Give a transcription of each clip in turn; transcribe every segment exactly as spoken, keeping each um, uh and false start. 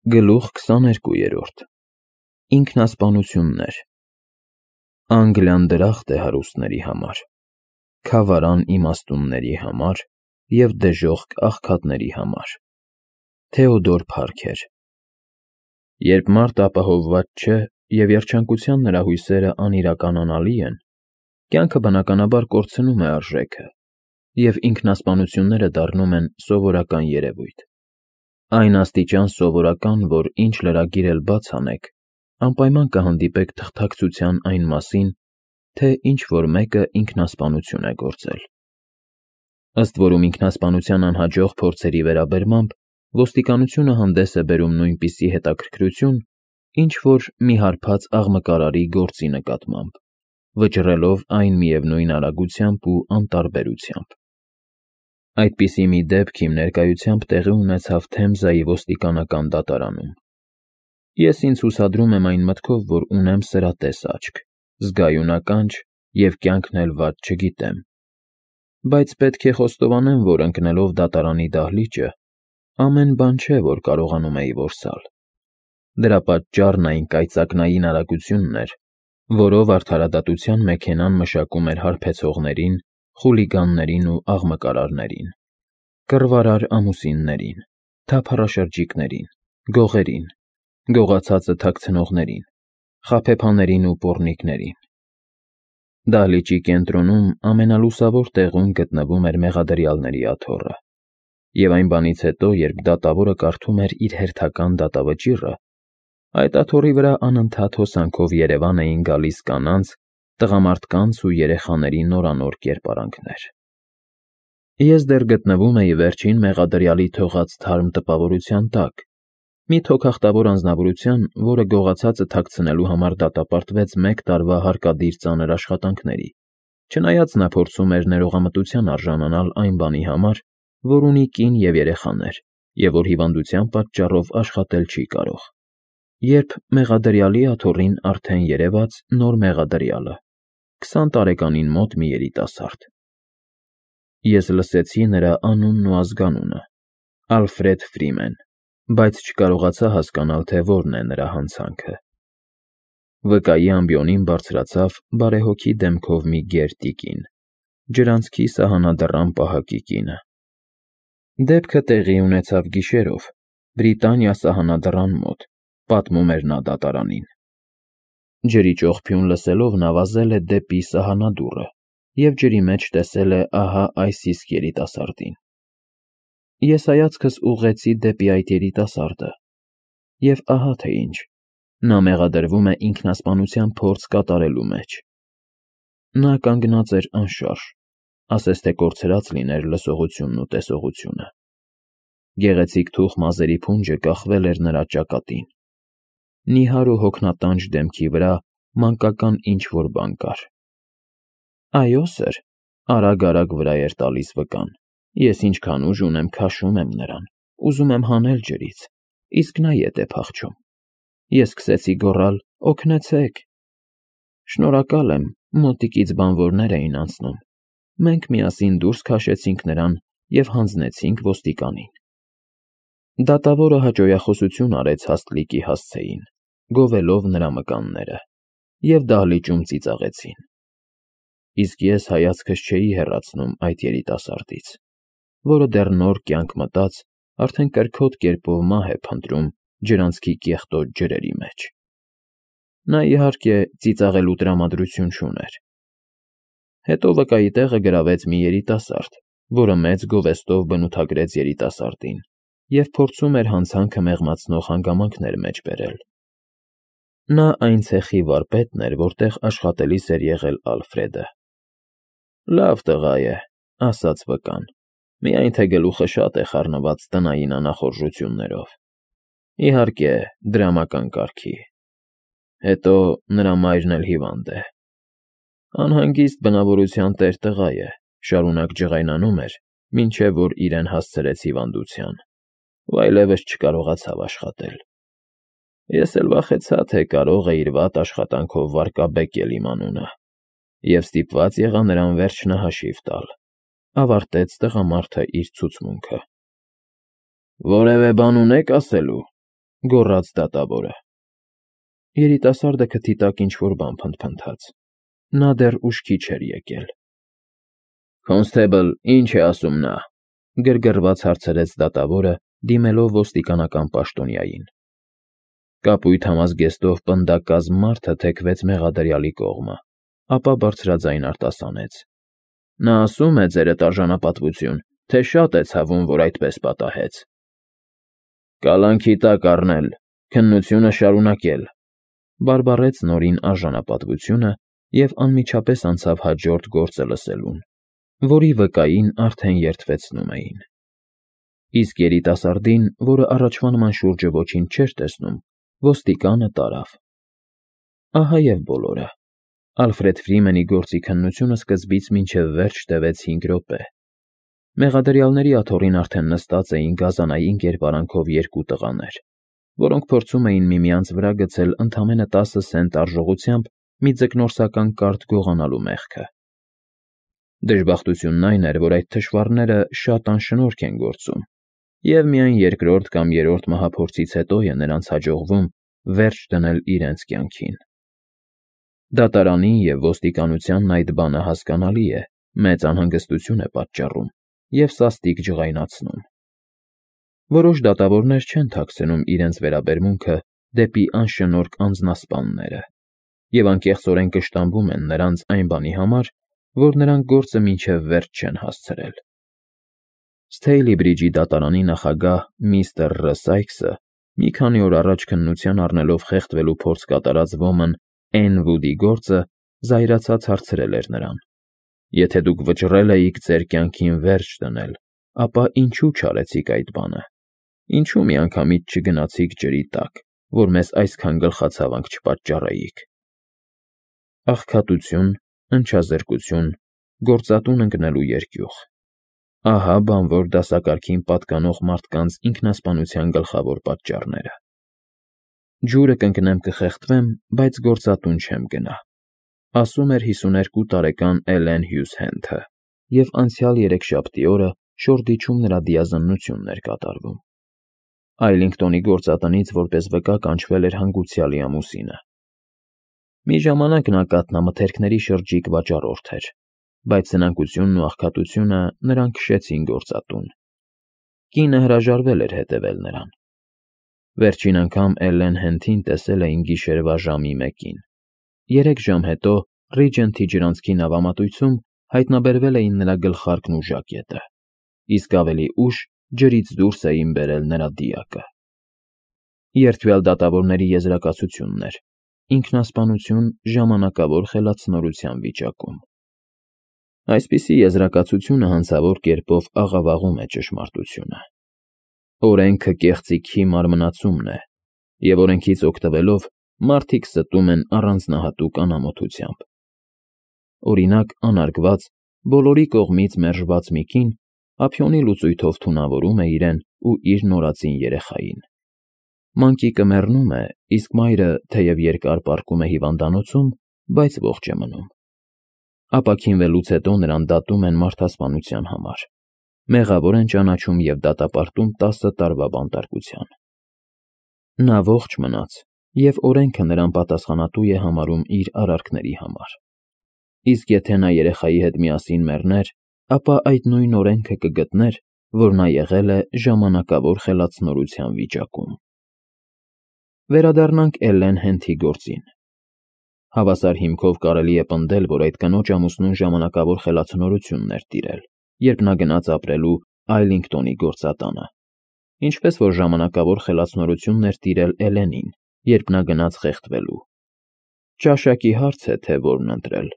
Գլուխ քսաներկուերորդ Ինքնասպանություններ Անգլիան դրախտ է հարուստների համար, քավարան իմաստունների համար և դժոխք աղքատների համար։ Թեոդոր Փարքեր Երբ մարդ ապահովված չէ և երջանկության նրա հույսերը անիրականանալի են, կյանքը բնականաբար կորցնում է արժեքը, և ինքնասպանությունները դառնում են սովորական երևույթ։ Այն աստիճան սովորական, որ ինչ լրագիր էլ բաց անեք, անպայման կհանդիպեք թղթակցության այն մասին, թե ինչ-որ մեկը ինքնասպանություն է գործել։ Ըստ որում ինքնասպանության անհաջող փորձերի վերաբերմամբ ոստիկանությունը հանդես է բերում նույնպիսի հետաքրքրություն, ինչ-որ մի հարբած աղմկարարի գործի նկատմամբ, վճռելով այն միևնույն արագությամբ ու անտարբերությամբ։ Այդպիսի մի դեպք իմ ներկայությամբ տեղի ունեցավ Թեմզայի ոստիկանական դատարանում։ Ես ինձ հուսադրում եմ այն մտքով, որ ունեմ սրատես աչք, զգայուն ականջ և կյանքն էլ վատ չգիտեմ, բայց պետք է խոստովանեմ, որ ընկնելով դատարանի դահլիճը, ամեն բան չէ, որ կարողանում էի որսալ։ Դրա պատճառն այն կայծակնային արագությունն էր, որով արդարադատության մեքենան մշակում էր հարբեցողներին, խուլիգաններին ու աղմկարարներին, կռվարար ամուսիններին, թափառաշրջիկներին, գողերին, գողացածը թաքցնողներին, խաբեբաներին ու պոռնիկներին։ Դահլիճի կենտրոնում ամենալուսավոր տեղում գտնվում էր մեղադրյալների աթոռը, և այն բանից հետո, երբ դատավորը կարդում էր իր հերթական դատավճիռը, այդ աթոռի վրա անընդհատ հոսանքով երևան էին գալիս կանանց, տղամարդկանց ու երեխաների նորանոր կերպարանքներ։ Ես դեռ գտնվում էի վերջին մեղադրյալի թողած թարմ տպավորության տակ, մի թոքախտավոր անձնավորության, որը գողացածը թաքցնելու համար դատապարտվեց մեկ տարվա հարկադիր ծանր աշխատանքների, չնայած նա փորձում էր ներողամտության արժանանալ այն բանի համար, որ ունի կին և երեխաներ, և որ հիվանդության պատճառով աշխատել չի կարող, երբ մեղադրյալի աթոռին արդեն երևաց նոր մեղադրյալը՝ քսան տարեկանին մոտ մի երիտասարդ։ Ես լսեցի նրա անունն ու ազգանունը՝ Ալֆրեդ Ֆրիմեն, բայց չկարողացա հասկանալ, թե որն է նրա հանցանքը։ Վկայի ամբիոնին բարձրացավ բարեհոգի դեմքով մի գեր տիկին, ջրանցքի սահմանադրամ պահակի կինը։ Դեպքը տեղի ունեցավ գիշերով, Բրիտանիա սահմանադրան մոտ, պատմում էր նա դատարանին։ Ջրի ճողփյուն լսելով նա վազել է դեպի սահմանադուռը և ջրի մեջ տեսել է ահա այս իսկ երիտասարդին։ Ես հայացքս ուղղեցի դեպի այդ երիտասարդը, և ահա թե ինչ, նա մեղադրվում է ինքնասպանության փորձ կատարելու մեջ։ Նա կանգնած էր անշարժ, ասես թե կորցրած լիներ լսողությունն ու տեսողությունը։ Գեղեցիկ թուխ մազերի փունջը կախվել էր նրա ճակատին։ Նիհար ու հոգնատանջ դեմքի վրա մանկական ինչ֊որ բան կար։ Այո, սըր, արագ֊արագ վրա էր տալիս վկան, ես ինչքան ուժ ունեմ, քաշում եմ նրան, ուզում եմ հանել ջրից, իսկ նա ետ է փախչում։ Ես սկսեցի գոռալ. «Օգնեցե՛ք»։ Շնորհակալ եմ, մոտիկից բանվորներ էին անցնում։ Մենք միասին դուրս քաշեցինք նրան և հանձնեցինք ոստիկանին։ Դատավորը հաճոյախոսություն արեց հաստլիկի հասցեին, գովելով նրա մկանները, և դահլիճում ծիծաղեցին։ Իսկ ես հայացքս չէի հեռացնում այդ երիտասարդից, որը դեռ նոր կյանք մտած, արդեն կրքոտ կերպով մահ է փնտրում ջրանցքի կեղտոտ ջրերի մեջ։ Նա, իհարկե, ծիծաղելու տրամադրություն չուներ։ Հետո վկայի տեղը գրավեց մի երիտասարդ, որը մեծ գովեստով բնութագրեց երիտասարդին և փորձում էր հանցանքը մեղմացնող հանգամանքներ մեջ բերել։ Նա այն ցեխի վարպետն էր, որտեղ աշխատելիս էր եղել Ալֆրեդը։ Լավ տղա է, ասաց վկան, միայն թե գլուխը շատ է խառնված տնային անախորժություններով։ Իհարկե, դրամական կարգի։ Հետո նրա մայրն էլ հիվանդ է։ Անհանգիստ բնավորության տեր տղա է, շարունակ ջղայնանում էր, մինչև որ իրեն հասցրեց հիվանդության, ու այլևս չկարողացավ աշխատել։ Ես էլ վախեցա, թե կարող է իր վատ աշխատանքով վարկաբեկել իմ անունը, և ստիպված եղա նրան վերջնահաշիվ տալ, ավարտեց տղամարդը իր ցուցմունքը։ Որևէ բան ունե՞ք ասելու։ գոռաց դատավորը։ Երիտասարդը քթի տակ ինչ֊որ բան փնթփնթաց. նա դեռ ուշքի չէր եկել։ Քոնստեբլ, ի՞նչ է ասում նա,֊ գրգռված հարցրեց դատավորը, դիմելով ոստիկանական պաշտոնյային։ Կապույտ համազգեստով պնդակազմ մարդը թեքվեց մեղադրյալի կողմը, ապա բարձրաձայն արտասանեց. Նա ասում է, ձերդ արժանապատվություն, թե շատ է ցավում, որ այդպես պատահեց։ Կալանքի տակ առնել, քննությունը շարունակել,֊ բարբառեց Նորին արժանապատվությունը և անմիջապես անցավ հաջորդ գործը լսելուն, որի վկային արդեն երդվեցնում էին։ Իսկ երիտասարդին, որը առաջվա նման շուրջը ոչինչ չէր տեսնում, ոստիկանը տարավ։ Ահա և բոլորը։ Ալֆրեդ Ֆրիմենի գործի քննությունը սկզբից մինչև վերջ տևեց հինգ րոպե։ Մեղադրյալների աթոռին արդեն նստած էին գազանային կերպարանքով երկու տղաներ, որոնք փորձում էին միմյանց վրա գցել ընդամենը տասը սենտ արժողությամբ մի ձկնորսական կարթ գողանալու մեղքը։ Դժբախտությունն այն էր, որ այդ թշվառները շատ անշնորհք են գործում, և միայն երկրորդ կամ երրորդ մահափորձից հետո է նրանց հաջողվում վերջ դնել իրենց կյանքին։ Դատարանին և ոստիկանությանն այդ բանը հասկանալի է, մեծ անհանգստություն է պատճառում և սաստիկ ջղայնացնում։ Որոշ դատավորներ չեն թաքցնում իրենց վերաբերմունքը դեպի անշնորհք անձնասպանները և անկեղծորեն կշտամբում են նրանց այն բանի համար, որ նրանք գործը մինչև վերջ չեն հասցրել։ Սթեյլի Բրիջի դատարանի նախագահ միստր Ռ. Սայքսը մի քանի օր առաջ քննության առնելով խեղդվելու փորձ կատարած ոմն Էն Վուդի գործը զայրացած հարցրել էր նրան. Եթե դուք վճռել էիք ձեր կյանքին վերջ դնել, ապա ինչու չարեցիք այդ բանը։ Ինչու միանգամից չգնացիք ջրի տակ, որ մեզ այսքան գլխացավանք չպատճառեիք։ Աղքատություն, ընչազրկություն, գործատուն ընկնելու երկյուղ։ Ահա բանվոր դասակարգին պատկանող մարդկանց ինքնասպանության գլխավոր պատճառները։ Ջուրը կընկնեմ կխեղդվեմ, բայց գործատուն չեմ գնա, ասում էր հիսուներկու տարեկան Էլեն Հյուզ Հենթը, և անցյալ երեքշաբթի օրը Շորդիչում նրա դիազնությունն էր կատարվում։ Այլինգտոնի գործատնից որպես վկա կանչվել էր հանգուցյալի ամուսինը։ Մի ժամանակ նա կաթնամթերքների շրջիկ վաճառորդ էր, բայց սնանկությունն ու աղքատությունը նրան քշեցին գործատուն։ Կինը հրաժարվել էր հետևել նրան։ Վերջին անգամ Էլեն Հենթին տեսել էին գիշերվա ժամի մեկին։ Երեք ժամ հետո Ռիջենթի ջրանցքի նավամատույցում հայտնաբերվել էին նրա գլխարկն ու ժակետը, իսկ ավելի ուշ ջրից դուրս էին բերել նրա դիակը։ Երդվյալ դատավորների եզրակացությունն էր. ինքնասպանություն ժամանակավոր խելացնորության վիճակում։ Այսպիսի եզրակացությունը հանցավոր կերպով աղավաղում է ճշմարտությունը։ Օրենքը կեղծիքի մարմնացումն է, և օրենքից օգտվելով մարդիկ ստում են առանձնահատուկ անամոթությամբ։ Օրինակ, անարգված, բոլորի կողմից մերժված մի կին ափիոնի լուծույթով թունավորում է իրեն ու իր նորածին երեխային։ Մանկիկը մեռնում է, իսկ մայրը, թեև երկար պառկում է հիվանդանոցում, բայց ողջ է մնում։ Ապաքինվելուց հետո նրան դատում են մարդասպանության համար, մեղավոր են ճանաչում և դատապարտում տասը տարվա բանտարկության։ Նա ողջ մնաց, և օրենքը նրան պատասխանատու է համարում իր արարքների համար։ Իսկ եթե նա երեխայի հետ միասին մեռներ, ապա այդ նույն օրենքը կգտներ, որ նա եղել է ժամանակավոր խելացնորության վիճակում։ Վերադառնանք Էլեն Հենթի գործին։ Հավասար հիմքով կարելի է պնդել, որ այդ կնոջ ամուսնուն ժամանակավոր խելացնորությունն էր տիրել, երբ նա գնաց ապրելու Այլինգտոնի գործատանը, ինչպես որ ժամանակավոր խելացնորությունն էր տիրել Էլենին, երբ նա գնաց խեղդվելու։ Ճաշակի հարց է, թե որն ընտրել՝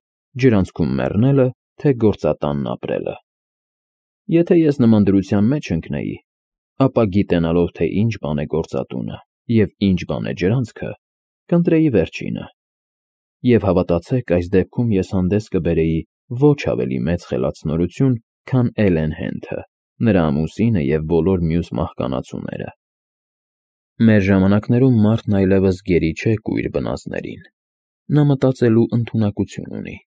ջրանցքում մեռնելը, թե գործատանն ապրելը։ Եթե ես նման դրության մեջ ընկնեի, ապա գիտենալով, թե ինչ բան է գործատունը և ինչ բան է ջրանցքը, կընտրեի վերջինը։ Եվ հավատացեք, այս դեպքում ես հանդես կբերեի ոչ ավելի մեծ խելացնորություն, քան Էլեն Հենթը, նրա ամուսինը և բոլոր մյուս մահկանացուները։ Մեր ժամանակներում մարդն այլևս գերի չէ կույր բնածներին։ Նա մտածելու ընդունակություն ունի։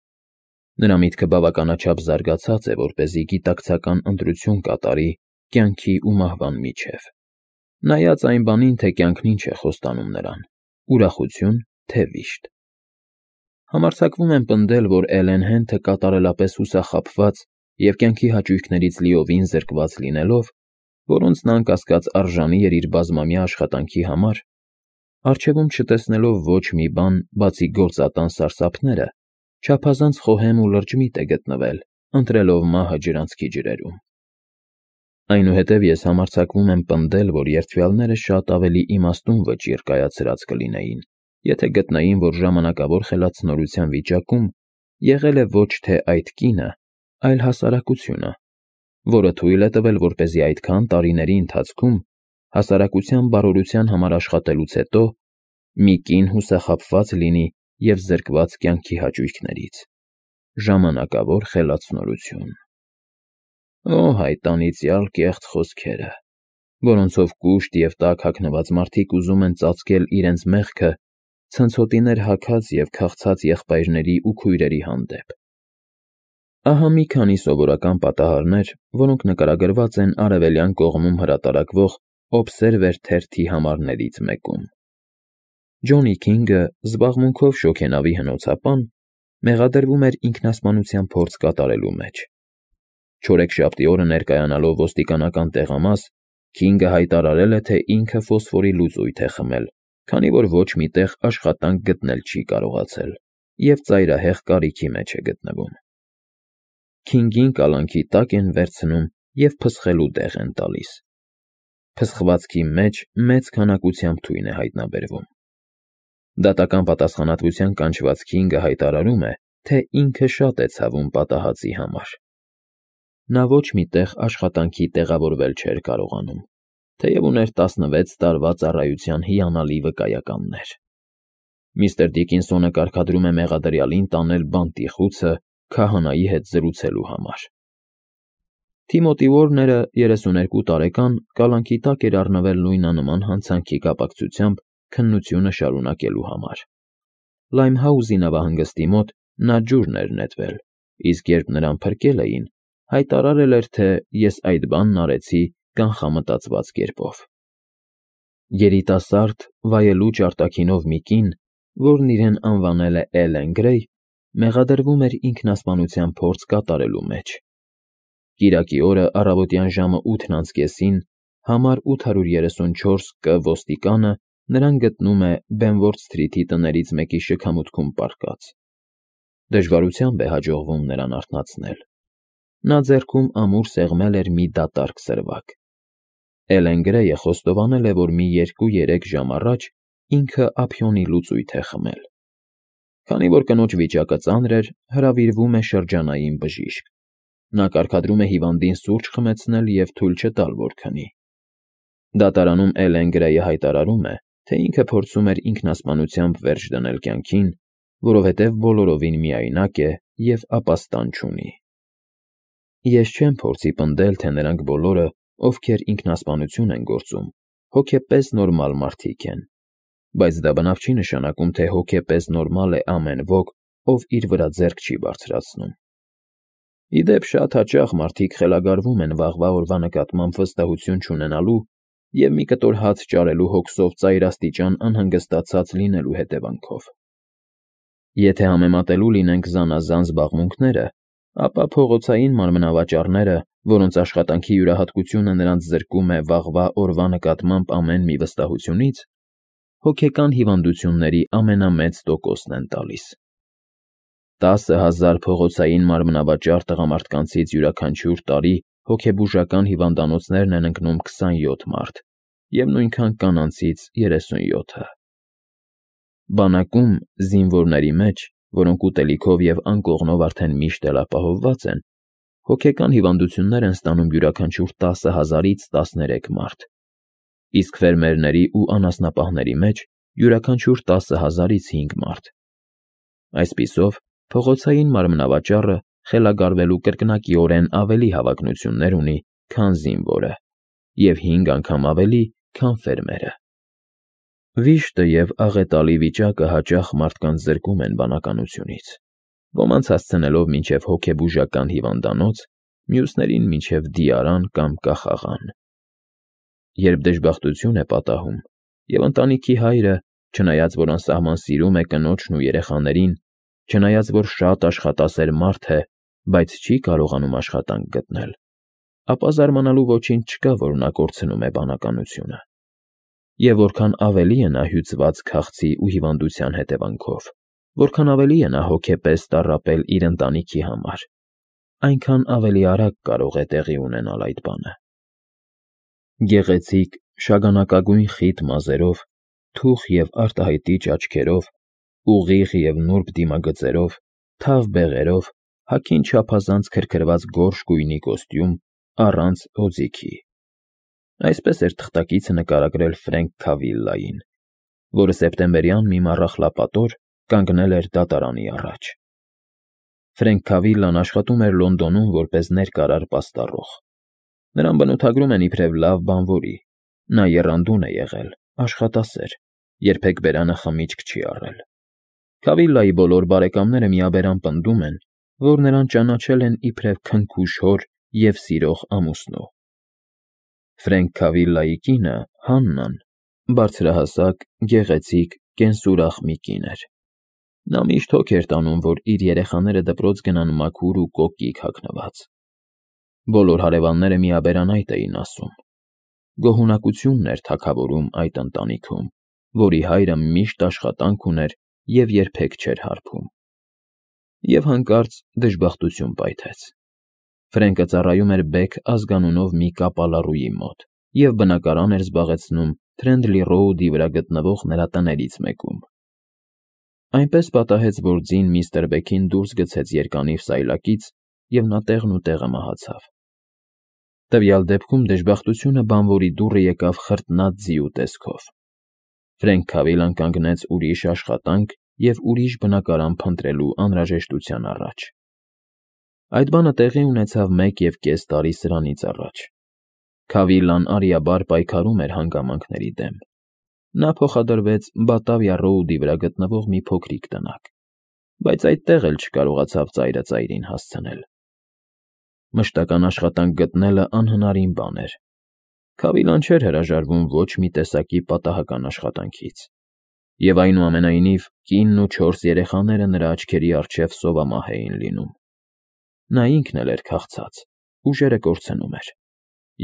Նրա միտքը բավականաչափ զարգացած է, որպեսզի գիտակցական ընտրություն կատարի կյանքի ու մահվան միջև։ նայած այն բանին, թե կյանքն ինչ է խոստանում նրան՝ ուրախություն, թե վիշտ։ Համարձակվում եմ պնդել, որ Էլեն Հենթը կատարելապես հուսախաբված և կյանքի հաճույքներից լիովին զրկված լինելով, որոնց նա անկասկած արժանի էր իր բազմամյա աշխատանքի համար, առջևում չտեսնելով ոչ մի բան, բացի գործատան սարսափները, չափազանց խոհեմ ու լրջմիտ է գտնվել, ընտրելով մահը ջրանցքի ջրերում։ Այնուհետև ես համարձակվում եմ պնդել, որ երդվյալները շատ ավելի իմաստուն վճիռ կայացրած կլինեին, եթե գտնեին, որ ժամանակավոր խելացնորության վիճակում եղել է ոչ թե այդ կինը, այլ հասարակությունը, որը թույլ է տվել, որպեսզի այդքան տարիների ընթացքում հասարակության բարօրության համար աշխատելուց հետո մի կին հուսախաբված լինի և զրկված կյանքի հաճույքներից։ Ժամանակավոր խելացնորություն։ Օ, այդ անիծյալ կեղծ խոսքերը, որոնցով կուշտ և տաք հագնված մարդիկ ուզում են ծածկել իրենց մեղքը ցնցոտիներ հագած և քաղցած եղբայրների ու քույրերի հանդեպ։ Ահա մի քանի սովորական պատահարներ, որոնք նկարագրված են Արևելյան կողմում հրատարակվող Օբսերվեր թերթի համարներից մեկում։ Ջոնի Քինգը, զբաղմունքով շոգենավի հնոցապան, մեղադրվում էր ինքնասպանության փորձ կատարելու մեջ։ Չորեքշաբթի օրը ներկայանալով ոստիկանական տեղամաս, Քինգը հայտարարել է, թե ինքը ֆոսֆորի լուծույթ է խմել, քանի որ ոչ մի տեղ աշխատանք գտնել չի կարողացել և ծայրահեղ կարիքի մեջ է գտնվում։ Քինգին կալանքի տակ են վերցնում և փսխելու տեղ են տալիս։ Փսխվածքի մեջ մեծ քանակությամբ թույն է հայտնաբերվում։ Դատական պատասխանատվության կանչված Քինգը հայտարարում է, թե ինքը շատ է ցավում պատահածի համար։ Նա ոչ մի տեղ աշխատանքի տեղավորվել չէր կարողանում, թեև ուներ տասնվեց տարվա ծառայության հիանալի վկայականներ։ Միստր Դիկինսոնը կարգադրում է մեղադրյալին տանել բանտի քահանայի հետ զրուցելու համար։ Թիմոթի Ուորները, երեսուներկու տարեկան, կալանքի տակ էր առնվել նույնանման հանցանքի կապակցությամբ քննությունը շարունակելու համար։ Լայմհաուզի նավահանգստի մոտ նա ջուրն էր նետվել, իսկ երբ նրան փրկել էին, հայտարարել էր, թե ես այդ բանն արեցի կանխամտածված կերպով։ Երիտասարդ, վայելուչ արտաքինով մի կին, որն իրեն անվանել է Էլեն Գրեյ, մեղադրվում էր ինքնասպանության փորձ կատարելու մեջ։ Կիրակի օրը առավոտյան ժամը ութն անց կեսին համար ութ հարյուր երեսունչորս Կ ոստիկանը նրան գտնում է Բենվորդ Սթրիթի տներից մեկի շքամուտքում պառկած։ Դժվարությամբ է հաջողվում նրան արթնացնել։ Նա ձեռքում ամուր սեղմել էր մի դատարկ սրվակ։ Էլեն Գրեյը խոստովանել է, որ մի երկու֊երեք ժամ առաջ ինքը ափիոնի լուծույթ է խմել։ Քանի որ կնոջ վիճակը ծանր էր, հրավիրվում է շրջանային բժիշկ։ Նա կարգադրում է հիվանդին սուրճ խմեցնել և թույլ չտալ, որ քնի։ Դատարանում Էլեն Գրեյը հայտարարում է, թե ինքը փորձում էր ինքնասպանությամբ վերջ դնել կյանքին, որովհետև բոլորովին միայնակ է և ապաստան չունի։ Ես չեմ փորձի պնդել, թե նրանք բոլորը, ովքեր ինքնասպանություն են գործում, հոգեպես նորմալ մարդիկ են, բայց դա բնավ չի նշանակում, թե հոգեպես նորմալ է ամեն ոք, ով իր վրա ձեռք չի բարձրացնում։ Ի դեպ, շատ հաճախ մարդիկ խելագարվում են վաղվա օրվա նկատմամբ վստահություն չունենալու և մի կտոր հաց ճարելու հոգսով ծայրաստիճան անհանգստացած լինելու հետևանքով։ Եթե համեմատելու լինենք զանազան զբաղմունքները, ապա փողոցային մարմնավաճառները, որոնց աշխատանքի յուրահատկությունը նրանց զրկում է վաղվա օրվա նկատմամբ ամեն մի վստահությունից, հոգեկան հիվանդությունների ամենամեծ տոկոսն են տալիս։ Տասը հազար փողոցային մարմնավաճառ տղամարդկանցից յուրաքանչյուր տարի հոգեբուժական հիվանդանոցներն են ընկնում քսանյոթ մարդ և նույնքան կանանցից երեսունյոթը։ Բանակում զինվորների մեջ, որոնք ուտելիքով և անկողնով արդեն միշտ էլ ապահովված են, հոգեկան հիվանդություններ են ստանում յուրաքանչյուր տասը հազարից տասներեք մարդ, իսկ ֆերմերների ու անասնապահների մեջ յուրաքանչյուր տասը հազարից հինգ մարդ։ Այսպիսով, փողոցային մարմնավաճառը խելագարվելու կրկնակիորեն ավելի հավակնություններ ունի, քան զինվորը, և հինգ անգամ ավելի, քան ֆերմերը։ Վիշտը և աղետալի վիճակը հաճախ մարդկանց զրկում են բանականությունից, ոմանց հասցնելով մինչև հոգեբուժական հիվանդանոց, մյուսներին մինչև դիարան կամ կախաղան։ երբ դժբախտություն է պատահում, և ընտանիքի հայրը, չնայած որ անսահման սիրում է կնոջն ու երեխաներին, չնայած որ շատ աշխատասեր մարդ է, բայց չի կարողանում աշխատանք գտնել, ապա զարմանալու ոչինչ չկա, որ նա կորցնում է բանականությունը։ Եվ որքան ավելի է նա հյուծված քաղցի ու հիվանդության հետևանքով, որքան ավելի է նա հոգեպես տառապել իր ընտանիքի համար, այնքան ավելի արագ կարող է տեղի ունենալ այդ բանը։ Գեղեցիկ, շագանակագույն խիտ մազերով, թուխ և արտահայտիչ աչքերով, ուղիղ և նուրբ դիմագծերով, թավ բեղերով, հագին չափազանց քրքրված գորշ գույնի կոստյում, առանց հոձիքի։ Այսպես էր թղթակիցը նկարագրել Ֆրենկ Քավիլլային, որը սեպտեմբերյան մի մառախլապատոր կանգնել էր դատարանի առաջ։ Ֆրենկ Քավիլլան աշխատում էր Լոնդոնում որպես ներկարար պաստառող։ Նրան բնութագրում են իբրև լավ բանվորի, նա եռանդուն է եղել, աշխատասեր, երբեք բերանը խմիչք չի առել։ Քավիլլայի բոլոր բարեկամները միաբերան պնդում են, որ նրան ճանաչել են իբրև քնքուշ հոր և սիրող ամուսնու։ Ֆրենկ Քավիլլայի կինը՝ Հաննան, բարձրահասակ, գեղեցիկ, կենսուրախ մի կին էր։ Նա միշտ հոգ էր տանում, որ իր երեխաները դպրոց գնան մաքուր ու կոկիկ հագնված։ Բոլոր հարևանները միաբերան այդ էին ասում։ Գոհունակությունն էր թագավորում այդ ընտանիքում, որի հայրը միշտ աշխատանք ուներ և երբեք չէր հարբում։ Եվ հանկարծ դժբախտություն պայթեց։ Ֆրենկը ծառայում էր Բեք ազգանունով մի կապալառուի մոտ և բնակարան էր զբաղեցնում Թրենդլի Ռոուդի վրա գտնվող նրա տներից մեկում։ Այնպես պատահեց, որ ձին միստր Բեքին դուրս գցեց երկանիվ սայլակից, և նա տեղն ու տեղը մահացավ։ Տվյալ դեպքում դժբախտությունը բանվորի դուռը եկավ խրտնած ձիու տեսքով։ Ֆրենկ Քավիլլան կանգնեց ուրիշ աշխատանք և ուրիշ բնակարան փնտրելու անհրաժեշտության առաջ։ Այդ բանը տեղի ունեցավ մեկ և կես տարի սրանից առաջ։ Քավիլլան արիաբար պայքարում էր հանգամանքների դեմ։ Նա փոխադրվեց Բատավիա Ռոուդի վրա գտնվող մի փոքրիկ տնակ, բայց այդտեղ էլ չկարողացավ ծայրը ծայրին հասցնել։ Մշտական աշխատանք գտնելը անհնարին բան էր։ Քավիլլան չէր հրաժարվում ոչ մի տեսակի պատահական աշխատանքից։ Եվ այնուամենայնիվ կինն ու չորս երեխաները նրա աչքերի առջև սովամահ էին լինում։ Նա ինքն էլ էր քաղցած, ուժերը կորցնում էր։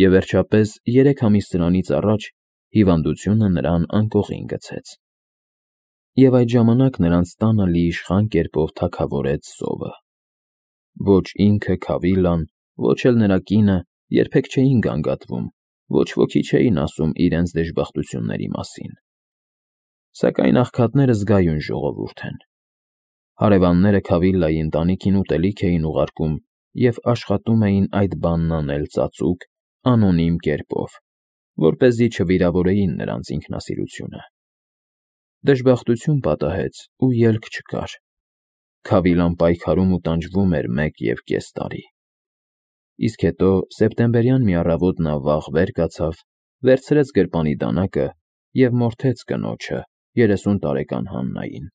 Եվ վերջապես, երեք ամիս սրանից առաջ հիվանդությունը նրան անկողին գցեց։ Եվ այդ ժամանակ նրանց տանը լիիշխան կերպով թագավորեց սովը։ Ոչ ինքը Քավիլլան, ոչ էլ նրա կինը երբեք չէին գանգատվում, ոչ ոքի չէին ասում իրենց դժբախտությունների մասին։ Սակայն աղքատները զգայուն ժողովուրդ են։ Հարևանները Քավիլլայի ընտանիքին ուտելիք էին ուղարկում և աշխատում էին այդ բանն անել ծածուկ, անոնիմ կերպով, որպեսզի չվիրավորեին նրանց ինքնասիրությունը։ Դժբախտություն պատահեց ու ելք չկար։ Քավիլլան պայքարում ու տանջվում էր մեկ և կես տարի։ Իսկ հետո սեպտեմբերյան մի առավոտ նա վաղ վեր կացավ, վերցրեց գրպանի դանակը և մորթեց կնոջը՝ երեսուն տարեկան Հաննային,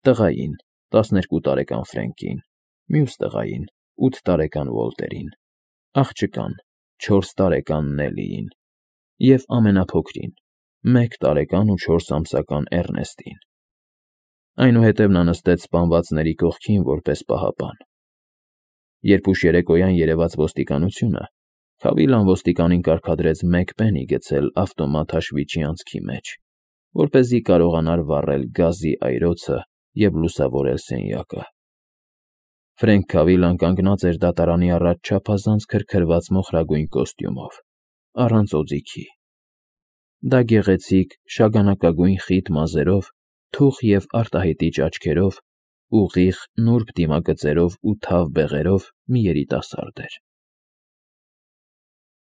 տղային՝ տասներկու տարեկան Ֆրենկին, մյուս տղային՝ ութ տարեկան Ուոլտերին, աղջկան՝ չորս տարեկան Նելիին և ամենափոքրին՝ մեկ տարեկան ու չորս ամսական Էռնեստին։ Այնուհետև նա նստեց սպանվածների կողքին որպես պահապան։ Երբ ուշ երեկոյան երևաց ոստիկանությունը, Քավիլլան ոստիկանին կարգադրեց մեկ պենի գցել ավտոմատ հաշվիչի անցքի մեջ, որպեսզի կարողանար վառել գազի այրոցը և լուսավորել սենյակը։ Ֆրենկ Քավիլլան կանգնած էր դատարանի առաջ չափազանց քրքրված մոխրագույն կոստյումով, առանց օձիքի։ Դա գեղեցիկ, շագանակագույն խիտ մազերով, թուխ և արտահայտիչ աչքերով, ուղիղ, նուրբ դիմագծերով ու թավ բեղերով մի երիտասարդ էր։